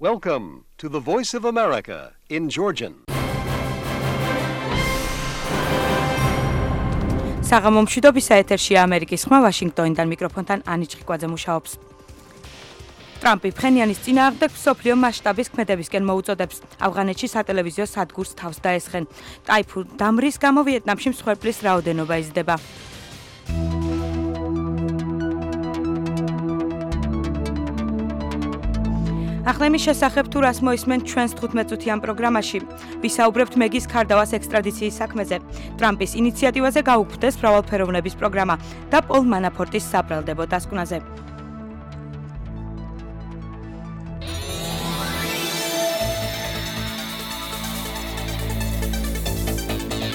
Welcome to the Voice of America in Georgian. საღამო მშვიდობისა ეთერშია ამერიკის ხმა ვაშინგტონიდან მიკროფონთან ანი ჭყიკვაძე მუშაობს. ტრამპი ფხენიანის წინააღმდეგ მსოფლიო მასშტაბის ქმედებისკენ მოუწოდებს. ავღანეთში სატელევიზიო სადგურს თავს დაესხენ. ტაიფუნ დამრის გამო ვიეტნამში მსხვერპლის რაოდენობა იზრდება. ახლა იმის შესახებ თუ რას მოისმენ ჩვენს 15-წუთიან პროგრამაში. ვისაუბრებთ მეგის ქარდავას ექსტრადიციის საქმეზე. ტრამპის ინიციატივაზე გაუქმდეს მრავალფეროვნების პროგრამა და პოლ მანაფორტის საბრალდებო დასკვნაზე.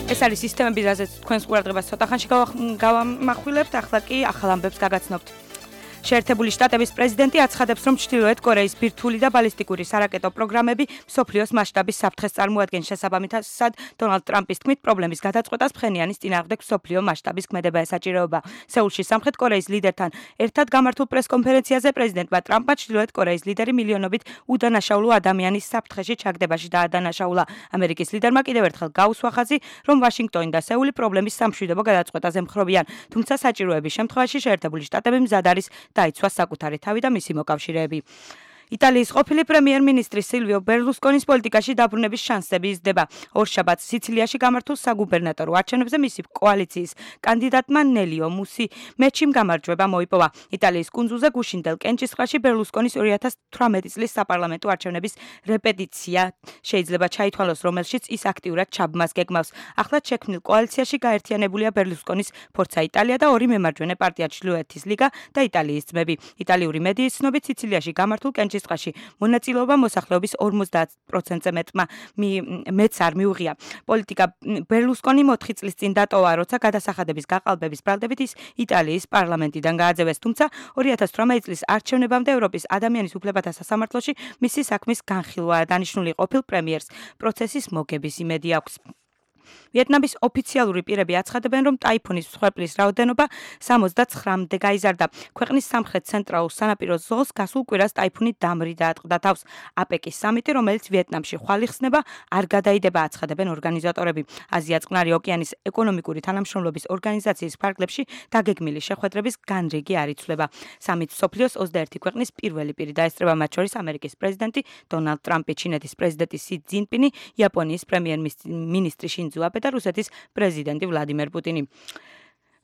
ეს არის სისტემები, რაზეც თქვენს ყურადღებას ცოტა ხანში გავამახვილებთ, ახლა კი ახალ ამბებს გაგაცნობთ. შეერთებული შტატების პრეზიდენტი აცხადებს, რომ ჩრდილოეთ კორეის ბირთვული და ბალისტიკური სარაკეტო პროგრამები მსოფლიოს მასშტაბის საფრთხეს წარმოადგენს. შესაბამისად, დონალდ ტრამპის თქმით, პრობლემის გადაწყვეტას ფხენიანის წინააღმდეგ მსოფლიო მასშტაბის ქმედება ესაჭიროება. სეულში სამხრეთ კორეის ლიდერთან ერთად გამართულ პრესკონფერენციაზე პრეზიდენტმა ტრამპმა ჩრდილოეთ კორეის ლიდერი მილიონობით უდანაშაულო ადამიანის საფრთხეში ჩაგდებაში დაადანაშაულა. ამერიკის ლიდერმა კიდევ ერთხელ გაუსვა ხაზი, რომ ვაშინგტონი და სეული პრობლემის სამშვიდობო გადაწყვეტაზე მხრობიან, თუმცა საჭიროების შემთხვევაში შეერთებული შტატები მზად არის დაიცვას საკუთარი თავი და მისი მოკავშირეები. იტალიის ყოფილი პრემიერ-მინისტრი სილვიო ბერლუსკონის პოლიტიკაში დაბრუნების შანსები იზრდება. ორშაბათს სიცილიაში გამართულ საგუბერნატორო არჩევნებზე მისი კოალიციის კანდიდატმა ნელიო მუსიმეჩიმ გამარჯვება მოიპოვა. იტალიის კუნძულზე გუშინდელ კენჭისყრაში ბერლუსკონის 2018 წლის საპარლამენტო არჩევნების რეპეტიცია შეიძლება ჩაითვალოს, რომელშიც ის აქტიურად ჩაბმას გეგმავს. ახლად შექმნილ კოალიციაში გაერთიანებულია ბერლუსკონის ფორცა იტალია და ორი მემარჯვენე პარტია ჩრდილოეთის ლიგა და იტალიის ძმები. იტალიური მედიის ცნობით სიცილიაში გამართულ კენჭისყრაში მონაწილეობა მოსახლეობის 50%-ზე მეც არ მიუღია. პოლიტიკა ბერლუსკონი 4 წლის წინ დატოვა, როცა გადასახადების გაყალბების ბრალდებით ის იტალიის პარლამენტიდან გააძევეს, თუმცა 2018 წლის არჩევნებამდე ევროპის ადამიანის უფლებათა სასამართლოში მისი საქმის განხილვაა დანიშნული. ყოფილ პრემიერს პროცესის მოგების იმედი აქვს. ვიეტნამის ოფიციალური პირები აცხადებენ, რომ ტაიფუნის მსხვერპლის რაოდენობა 79-მდე გაიზარდა. ქვეყნის სამხრეთ-ცენტრალურ სანაპირო ზოლს გასულ კვირას ტაიფუნი დამრი დაატყდა თავს. აპეკის სამიტი, რომელიც ვიეტნამში ხვალ იხსნება, არ გადაიდება, აცხადებენ ორგანიზატორები. აზია-წყნარი ოკეანის ეკონომიკური თანამშრომლობის ორგანიზაციის ფარგლებში დაგეგმილი შეხვედრების განრიგი არ იცვლება. სამიტს მსოფლიოს 21 ქვეყნის პირველი პირი დაესწრება, მათ შორის ამერიკის პრეზიდენტი დონალდ ტრამპი, ჩინეთის პრეზიდენტი სი ძინპინი, იაპონიის პრემიერ-მინისტრი შინძო აბე და რუსეთის პრეზიდენტი ვლადიმერ პუტინი.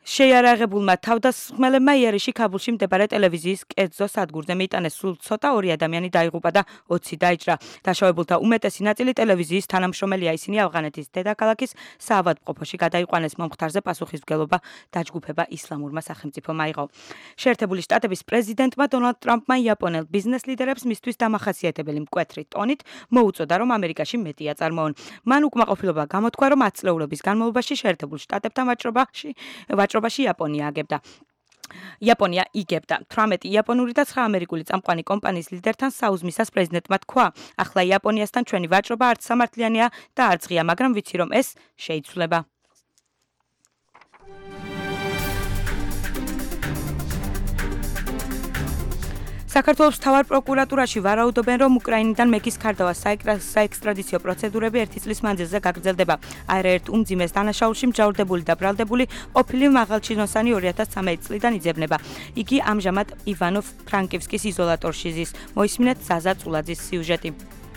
შეიარაღებულმა თავდასხმელებმა იერიში ქაბულში მდებარე ტელევიზიის კერძო სადგურზე მიიტანეს. სულ ცოტა 2 ადამიანი დაიღუპა და 20 დაიჭრა. დაშავებულთა უმეტესი ნაწილი ტელევიზიის თანამშრომელია. ისინი ავღანეთის დედაქალაქის საავადმყოფოში გადაიყვანეს. მომხდარზე პასუხისმგებლობა დაჯგუფება ისლამურმა სახელმწიფომ აიღო. შეერთებული შტატების პრეზიდენტმა დონალდ ტრამპმა იაპონელ ბიზნეს ლიდერებს მისთვის დამახასიათებელი მკვეთრი ტონით მოუწოდა, რომ ამერიკაში მეტი აწარმოონ. მან უკმაყოფილება გამოთქვა, რომ 10 წლეულობის განმავლობაში შეერთებულ შტატებთან ვაჭრობაში იაპონია იგებდა. 18 იაპონური და 9 ამერიკული წამყვანი კომპანიის ლიდერთან საუზმისას პრეზიდენტმა თქვა, ახლა იაპონიასთან ჩვენი ვაჭრობა არც სამართლიანია და არც ღია, მაგრამ ვიცი, რომ ეს შეიცვლება. საქართველოს მთავარ პროკურატურაში ვარაუდობენ, რომ უკრაინიდან მეგის ქარდავას საექსტრადიციო პროცედურები 1 წლის მანძილზე გაგრძელდება. არაერთ უმძიმეს დანაშაულში მჯავრდებული და ბრალდებული ყოფილი მაღალჩინოსანი 2013 წლიდან იძებნება. იგი ამჟამად ივანო-ფრანკივსკის იზოლატორში ზის. მოისმინეთ ზაზა წულაძის სიუჟეტი.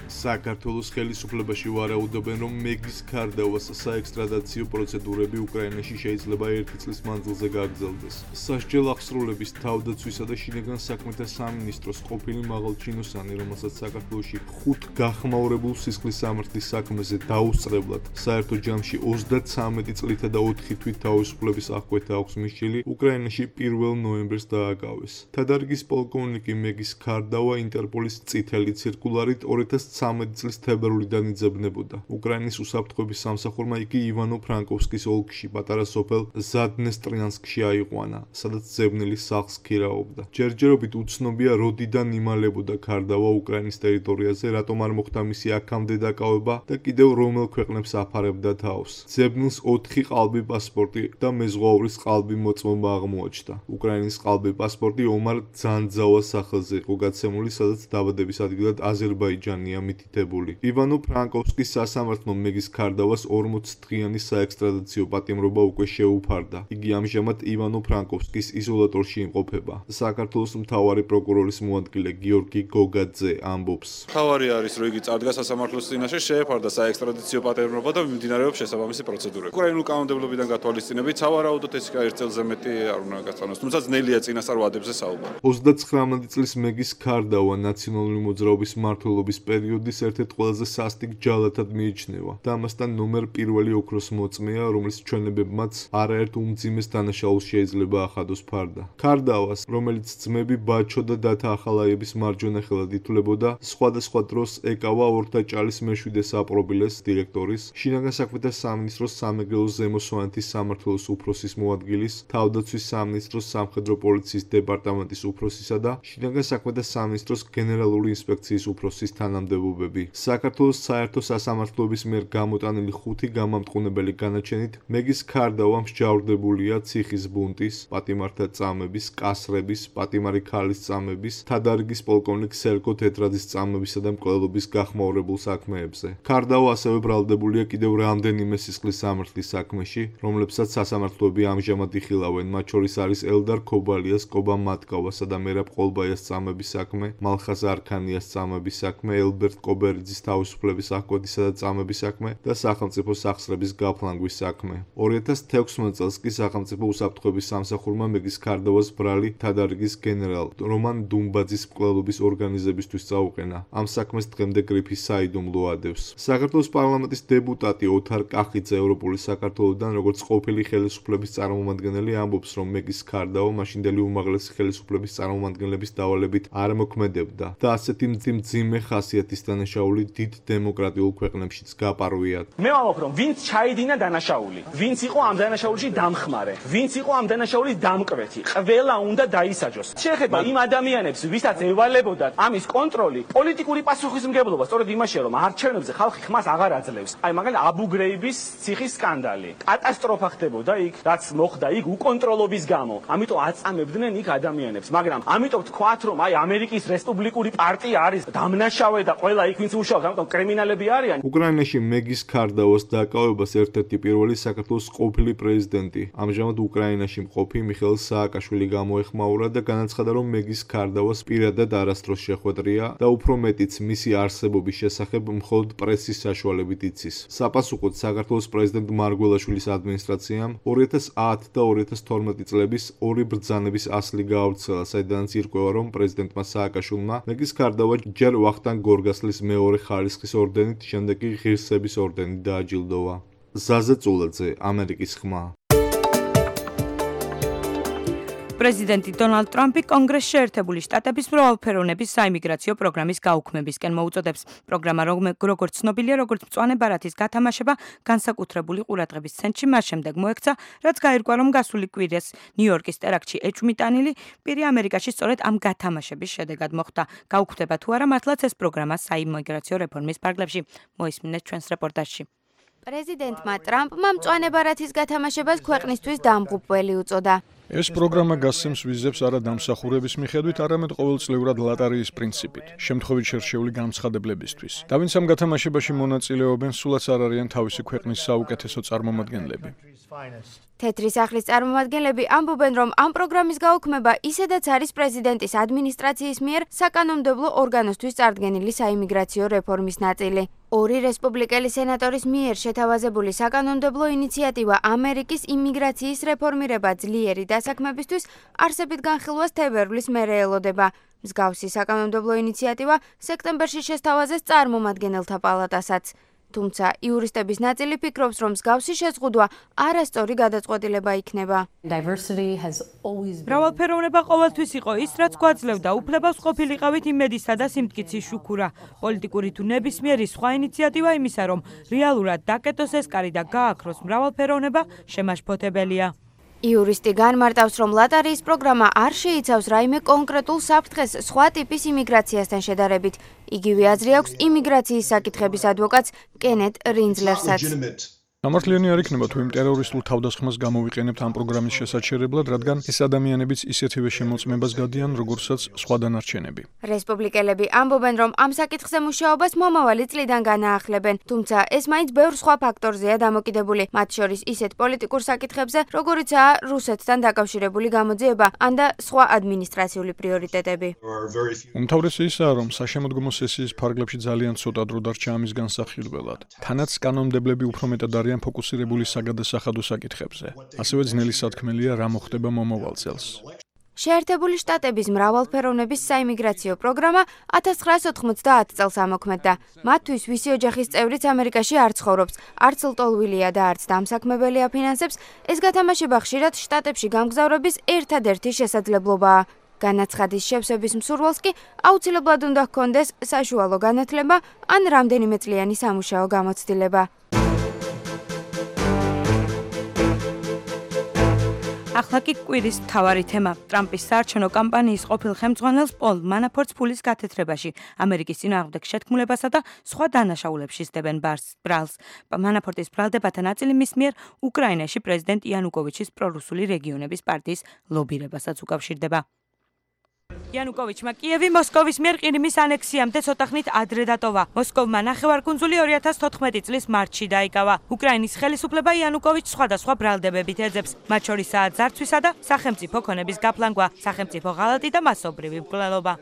საქართველოს ხელისუფლებაში ვარაუდობენ, რომ მეგის ქარდავას საექსტრადიციო პროცედურები უკრაინაში შეიძლება 1 წლის მანძილზე გაგრძელდეს. სასჯელ აღსრულების თავდაცვისა და შინაგან საქმეთა სამინისტროს ყოფილი მაღალჩინოსანი, რომელსაც საქართველოში 5 გახმაურებულ სისხლის სამართლის საქმეზე დაუსწრებლად საერთო ჯამში 33 წლითა და 4 თვით თავისუფლების აღკვეთა აქვს მისჩილი, უკრაინაში 1 ნოემბერს დააკავეს. თადარიგის პოლკოვნიკი მეგის ქარდავა ინტერპოლის წითელი ცირკულარით 2019 2013 წლის თებერვლიდან იძებნებოდა. უკრაინის უსაფრთხოების სამსახურმა იგი ივანო-ფრანკოვსკის ოლქში პატარა სოფელ ზადნესტრიანსკში აიყვანა, სადაც ძებნილი სახლს ქირაობდა. ჯერჯერობით უცნობია, როდიდან იმალებოდა ქარდავა უკრაინის ტერიტორიაზე, რატომ არ მოხდა მისი აქამდე დაკავება და კიდევ რომელ ქვეყნებს აფარებდა თავს. ძებნილს 4 ყალბი პასპორტი და მეზღვაურის ყალბი მოწმობა აღმოაჩნდა. უკრაინის ყალბი პასპორტი ომარ ძანძავას სახელზე იყო გაცემული, სადაც დაბადების ადგილად აზერბაიჯანია მითითებული. ივანო-ფრანკოვსკის სასამართლომ მეგის ქარდავას 40 დღიანი საექსტრადიციო პატიმრობა უკვე შეუფარდა. იგი ამჟამად ივანო-ფრანკოვსკის იზოლატორში იმყოფება. საქართველოს მთავარი პროკურორის მოადგილე გიორგი გოგაძე ამბობს. მთავარი არის, რომ იგი წარდგა სასამართლოს წინაშე, შეეფარდა საექსტრადიციო პატიმრობა და მიმდინარეობს შესაბამისი პროცედურები. უკრაინულ კანონმდებლობიდან გათვალისწინებით, სავარაუდოდ ეს ერთ წელზე მეტი არ უნდა გასწავლოს, თუმცა ძნელია წინასწარ ვადებზე საუბარი. 39 წლის მეგის ქარდავა ნაციონალური მოძრაობის მმართველობის პერიოდის ერთ-ერთ ყველაზე სასტიკ ჯალათად მიიჩნევა და ამასთან ნომერ პირველი ოქროს მოწმეა, რომლის ჩვენებებმაც არაერთ უმძიმეს დანაშაულს შეიძლება ახადოს ფარდა. ქარდავას, რომელიც ძმები ბაჩო და დათა ახალაიების მარჯვენა ხელად ითვლებოდა, სხვადასხვა დროს ეკავა ორთაჭალის მე-7 საპრობილეს დირექტორის, შინაგან საქმეთა სამინისტროს სამეგრელოს ზემო სვანეთის სამმართველოს უფროსის მოადგილის, თავდაცვის სამინისტროს სამხედრო პოლიციის დეპარტამენტის უფროსისა და შინაგან საქმეთა სამინისტროს გენერალური ინსპექციის უფროსის თანამდებობები. საქართველოს საერთო სასამართლოების მიერ გამოტანილი 5 გამამტყუნებელი განაჩენით მეგის ქარდავა მსჯავრდებულია ციხის ბუნტის, პატიმართა წამების, კასრების, პატიმარი ქალის წამების, თადარიგის პოლკოვნიკ სერგო თეთრაძის წამებისა და მკვლელობის გახმაურებულ საქმეებზე. ქარდავა ასევე ბრალდებულია კიდევ რამდენიმე სისხლის სამართლის საქმეში, რომლებსაც სასამართლოები ამჟამად იხილავენ, მათ შორის არის ელდარ ქობალიას, კობა მატკავასა და მერაბ ყოლბაიას წამების საქმე, მალხაზ არქანიას წამების საქმე, ელბერტ კობერიძის თავისუფლების აღკვეთისა და წამების საქმე და სახელმწიფო სახსრების გაფლანგვის საქმე. 2016 წელს კი სახელმწიფო უსაფრთხოების სამსახურმა მეგის ქარდავას ბრალი თადარიგის გენერალ რომან დუმბაძის მკვლელობის ორგანიზებისთვის წაუყენა. ამ საქმეს დღემდე გრიფის საიდუმლო ადევს. საქართველოს პარლამენტის დეპუტატი ოთარ კახიძე ევროპული საქართველოსთან, როგორც ყოფილი ხელისუფლების წარმომადგენელი, ამბობს, რომ მეგის ქარდავა მაშინდელი უმაღლესი ხელისუფლების წარმომადგენლების დავალებით არ მოქმედებდა და ასეთი მძიმე ხასიათის დანაშაული დიდ დემოკრატიულ ქვეყნებშიც გაპარვიათ. მე ვამბობ, რომ ვინც ჩაიდინა დანაშაული, ვინც იყო ამ დანაშაულში დამხმარე, ვინც იყო ამ დანაშაულის დამკვეთი, ყველა უნდა დაისაჯოს. შეეხება იმ ადამიანებს, ვისაც ევალებოდათ ამის კონტროლი, პოლიტიკური პასუხისმგებლობა, სწორედ იმაშია, რომ არჩევნებზე ხალხი ხმას აღარ აძლევს. აი მაგალითად აბუ გრეიბის ციხის სკანდალი. კატასტროფა ხდებოდა იქ, რაც მოხდა იქ უკონტროლობის გამო. ამიტომ აწამებდნენ იქ ადამიანებს, მაგრამ ამიტომ თქვათ, რომ აი ამერიკის რესპუბლიკური პარტია არის დამნაშავე და ყველა იქ ვინც უშავთ, ამიტომ კრიმინალები არიან. უკრაინაში მეგის ქარდავას დაკავებას ერთ-ერთი პირველი საქართველოს ყოფილი პრეზიდენტი, ამჟამად უკრაინაში მყოფი მიხეილ სააკაშვილი გამოეხმაურა და განაცხადა, რომ მეგის ქარდავას პირადად არასდროს შეხვედრია და უფრო მეტიც მისი არსებობის შესახებ მხოლოდ პრესის საშუალებით იცის. საპასუხოდ საქართველოს პრეზიდენტ მარგველაშვილის ადმინისტრაციამ 2010 და 2012 წლების ორი ბრძანების ასლი გაავრცელა, საიდანაც ირკვევა, რომ პრეზიდენტმა სააკაშვილმა მეგის ქარდავა ჯერ ვახტანგ გორგასლის მეორე ხარისხის ორდენით, შემდეგ კი ღირსების ორდენით დააჯილდოვა. ზაზა წულაძე, ამერიკის ხმა. პრეზიდენტი დონალდ ტრამპი კონგრესში ერთებული შტატების მრავალფეროვნების საიმიგრაციო პროგრამის გაუქმებისკენ მოუწოდებს. პროგრამა, როგორც ცნობილია, როგორც მწვანე ბარათის გათამაშება, განსაკუთრებული ყურადღების ცენტრში მას შემდეგ მოექცა, რაც გაირკვა, რომ გასული კვირას ნიუ-იორკის ტერაქტში ეჭვმიტანილი პირი ამერიკაში სწორედ ამ გათამაშების შედეგად მოხვდა. გაუქმდება თუ არა მართლაც ეს პროგრამა საიმიგრაციო რეფორმის ფარგლებში. მოისმინეთ ჩვენს რეპორტაჟში. პრეზიდენტმა ტრამპმა მწვანე ბარათის გათამაშებას ქვეყნისთვის დამღუპველი უწოდა. ეს პროგრამა გასცემს ვიზებს არა დამსახურების მიხედვით, არამედ ყოველწლიურად ლატარიის პრინციპით, შემთხვევით შერჩეული განცხადებლებისთვის. და ვინც ამ გათამაშებაში მონაწილეობენ, სულაც არ არიან თავისი ქვეყნის საუკეთესო წარმომადგენლები. თეთრი სახლის წარმომადგენლები ამბობენ, რომ ამ პროგრამის გაუქმება ისედაც არის პრეზიდენტის ადმინისტრაციის მიერ საკანონმდებლო ორგანოსთვის წარდგენილი საიმიგრაციო რეფორმის ნაწილი. ორი რესპუბლიკელი სენატორის მიერ შეთავაზებული საკანონმდებლო ინიციატივა ამერიკის იმიგრაციის რეფორმირება ძლიერი დასაქმებისთვის არსებით განხილვას თებერვლის მერე ელოდება. მსგავსი საკანონმდებლო ინიციატივა სექტემბერში შესთავაზეს წარმომადგენელთა პალატასაც. თუმცა იურისტების ნაწილი ფიქრობს, რომ მსგავსი შეზღუდვა არასწორი გადაწყვეტილება იქნება. მრავალფეროვნება ყოველთვის იყო ის, რაც გვაძლევდა უფლებას ყოფილიყავით იმედისა და სიმტკიცის შუქურა. პოლიტიკური თუ ნებისმიერი სხვა ინიციატივა იმისა, რომ რეალურად დაკეტოს ეს კარი და გააქროს მრავალფეროვნება, შემაშფოთებელია. იურისტი განმარტავს, რომ ლატარიის პროგრამა არ შეიცავს რაიმე კონკრეტულ საფრთხეს სხვა ტიპის იმიგრაციასთან შედარებით. იგივე აზრი აქვს იმიგრაციის საკითხების ადვოკატს კენეთ რინძლერსაც. სამართლიანი არ იქნება თუ იმ ტერორისტულ თავდასხმას გამოვიყენებთ ამ პროგრამის შესაჩერებლად, რადგან ეს ადამიანებიც ისეთივე შემოწმებას გადიან, როგორცაც სხვა დანარჩენები. რესპუბლიკელები ამბობენ, რომ ამ საკითხზე მუშაობას მომავალი წლიდან განაახლებენ, თუმცა ეს მაინც ბევრ სხვა ფაქტორზეა დამოკიდებული, მათ შორის ისეთ პოლიტიკურ საკითხებზე, როგორიცაა რუსეთთან დაკავშირებული გამოძიება, ან და სხვა ადმინისტრაციული პრიორიტეტები. უმთავრესი ისაა, რომ საშემოდგომო სესიის ფარგლებში ძალიან ცოტა დრო დარჩა ამის განსახილველად. თანაც კანონმდებლები უფრო მეტად არიან ფოკუსირებული საგადასახადო საკითხებზე. ასევე ძნელი სათქმელია, რა მოხდება მომავალ წელს. შეერთებული შტატების მრავალფეროვნების საიმიგრაციო პროგრამა 1990 წელს ამოქმედდა. მათთვის ვისი ოჯახის წევრიც ამერიკაში არ ცხოვრობს, არც ლტოლვილია და არც დამსაქმებელი აფინანსებს, ეს გათამაშება ხშირად შტატებში გამგზავრების ერთადერთი შესაძლებლობაა. განაცხადის შევსების მსურველს კი აუცილებლად უნდა ჰქონდეს საშუალო განათლება ან რამდენიმე წლიანი სამუშაო გამოცდილება. ახლა კი კვირის მთავარი თემა. ტრამპის საარჩევნო კამპანიის ყოფილ ხელმძღვანელს პოლ მანაფორტს ფულის გათეთრებაში, ამერიკის წინააღმდეგ შეთქმულებასა და სხვა დანაშაულებში სდებენ ბრალს. მანაფორტის ბრალდებათა ნაწილი მის მიერ უკრაინაში პრეზიდენტ იანუკოვიჩის პრორუსული რეგიონების პარტიის ლობირებასაც უკავშირდება. იანუკოვიჩმა კიევი მოსკოვის მიერ ყირიმის ანექსიამდე ცოტა ხნით ადრე დატოვა. მოსკოვმა ნახევარკუნძული 2014 წლის მარტში დაიკავა. უკრაინის ხელისუფლება იანუკოვიჩს სხვადასხვა ბრალდებებით ეძებს, მათ შორისაა ძარცვისა და სახელმწიფო ქონების გაფლანგვა, სახელმწიფო ღალატი და მასობრივი მკვლელობა.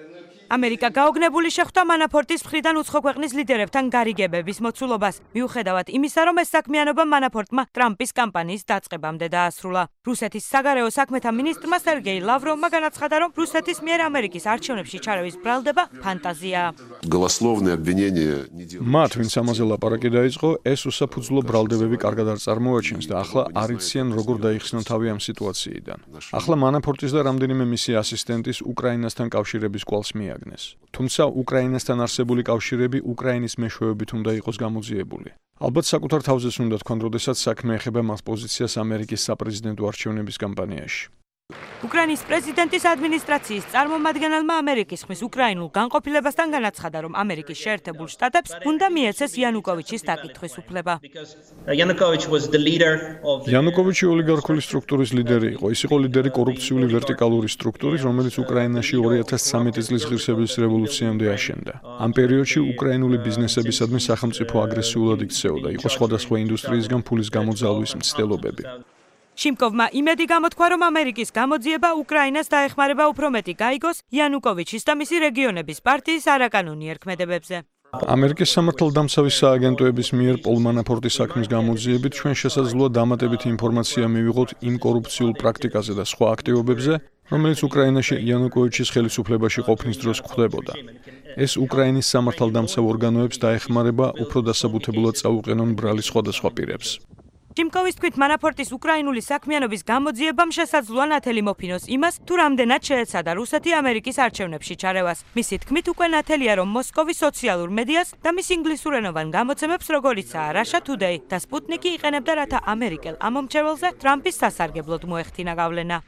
ამერიკა გაოგნებული შეხვდა მანაფორტის მხრიდან უცხო ქვეყნის ლიდერებთან გარიგებების მოცულობას, მიუხედავად იმისა, რომ ეს საქმიანობა მანაფორტმა ტრამპის კამპანიის დაწყებამდე დაასრულა. რუსეთის საგარეო საქმეთა მინისტრმა სერგეი ლავროვმა განაცხადა, რომ რუსეთის მიერ ამერიკის არჩევნებში ჩარევის ბრალდება ფანტაზიაა. მათ, ვინც ამაზე ლაპარაკი დაიწყო, ეს უსაფუძვლო ბრალდებები კარგად არ წარმოაჩენს და ახლა არ იციან, როგორ დაიხსნან თავი ამ სიტუაციიდან. ახლა მანაფორტის და რამდენიმე მისი ასისტენტის უკრაინასთან კავშირების კვალს თუმცა უკრაინასთან არსებული კავშირები უკრაინის მეშვეობით უნდა იყოს გამოძიებული. ალბათ საკუთარ თავზეც უნდა თქვან, როდესაც საქმე ეხება მას პოზიციას ამერიკის საპრეზიდენტო არჩევნების კამპანიაში. უკრაინის პრეზიდენტის ადმინისტრაციის წარმომადგენელმა ამერიკის ხმის უკრაინულ განყოფილებასთან განაცხადა, რომ ამერიკის შეერთებულ შტატებს უნდა მიეცეს იანუკოვიჩის დაკითხვის უფლება. იანუკოვიჩი ოლიგარქული სტრუქტურის ლიდერი იყო. ის იყო ლიდერი კორუფციული ვერტიკალური სტრუქტურის, რომელიც უკრაინაში 2013 წლის ღირსების რევოლუციამდე აშენდა. ამ პერიოდში უკრაინული ბიზნესებისადმი სახელმწიფო აგრესიულად იქცეოდა. იყო სხვადასხვა ინდუსტრიისგან ფულის გამოძალვის მცდელობები. შიმკოვმა იმედი გამოთქვა, რომ ამერიკის გამოძიება უკრაინას დაეხმარება უფრო მეტი გაიგოს იანუკოვიჩის და მისი რეგიონების პარტიის არაკანონიერ ქმედებებზე. ამერიკის სამართალდამცავი სააგენტოების მიერ პოლ მანაფორტის საქმის გამოძიებით ჩვენ შესაძლოა დამატებითი ინფორმაცია მივიღოთ იმ კორუფციულ პრაქტიკაზე და სხვა აქტივობებზე, რომელიც უკრაინაში იანუკოვიჩის ხელისუფლებაში ყოფნის დროს გვხდებოდა. ეს უკრაინის სამართალდამცავ ორგანოებს დაეხმარება უფრო დასაბუთებულად წაუყენონ ბრალი სხვადასხვა პირებს. შიმკოვის თქმით, მანაფორტის უკრაინული საქმიანობის გამოძიებამ შესაძლოა ნათელი მოფინოს იმას, თუ რამდენად შეეცადა რუსეთი ამერიკის არჩევნებში ჩარევას. მისი თქმით, უკვე ნათელია, რომ მოსკოვი სოციალურ მედიას და მის ინგლისურენოვან გამოცემებს, როგორიცაა Russia Today და Sputnik-ი იყენებდა, რათა ამერიკელ ამომრჩეველზე ტრამპის სასარგებლოდ მოეხთინა გავლენა.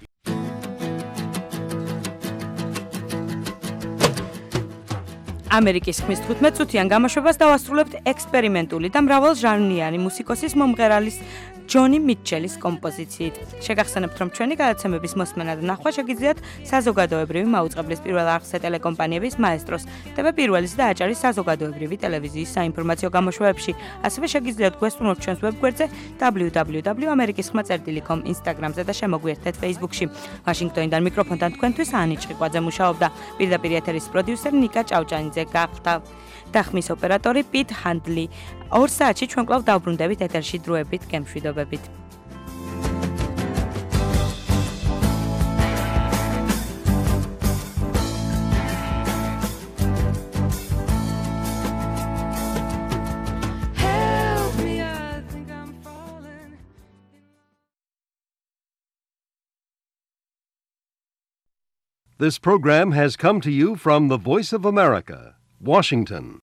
ამერიკის ხმის 15 წუთიან გამოშვებას დავასრულებთ ექსპერიმენტული და მრავალჟანრიანი მუსიკოსის მომღერალის ჯონი მიჩელის კომპოზიციით. შეგახსენებთ, რომ ჩვენი გადაცემების მოსმენა და ნახვა შეგიძლიათ საზოგადოებრივი მაუწყებლის პირველ არხზე ტელეკომპანიების მაესტროს, TV პირველის და აჭარის საზოგადოებრივი ტელევიზიის საინფორმაციო გამოშვებებში. ასევე შეგიძლიათ გვესწრუნოთ ჩვენს ვებგვერდზე www.amerikisxma.com, Instagram-ზე და შემოგვიერთდეთ Facebook-ში. ვაშინგტონიდან მიკროფონთან თქვენთვის ანი ჭყიყვაძე მუშაობდა. პირდაპირ ეთერის პროდიუსერი ნიკა ჭავჭანიძე გახდა. და ხმის ოპერატორი პიტ ჰანდლი. 2 საათში ჩვენ კვლავ დავბრუნდებით ეთერში დროებით, გემშვიდობებით. This program has come to you from the Voice of America, Washington.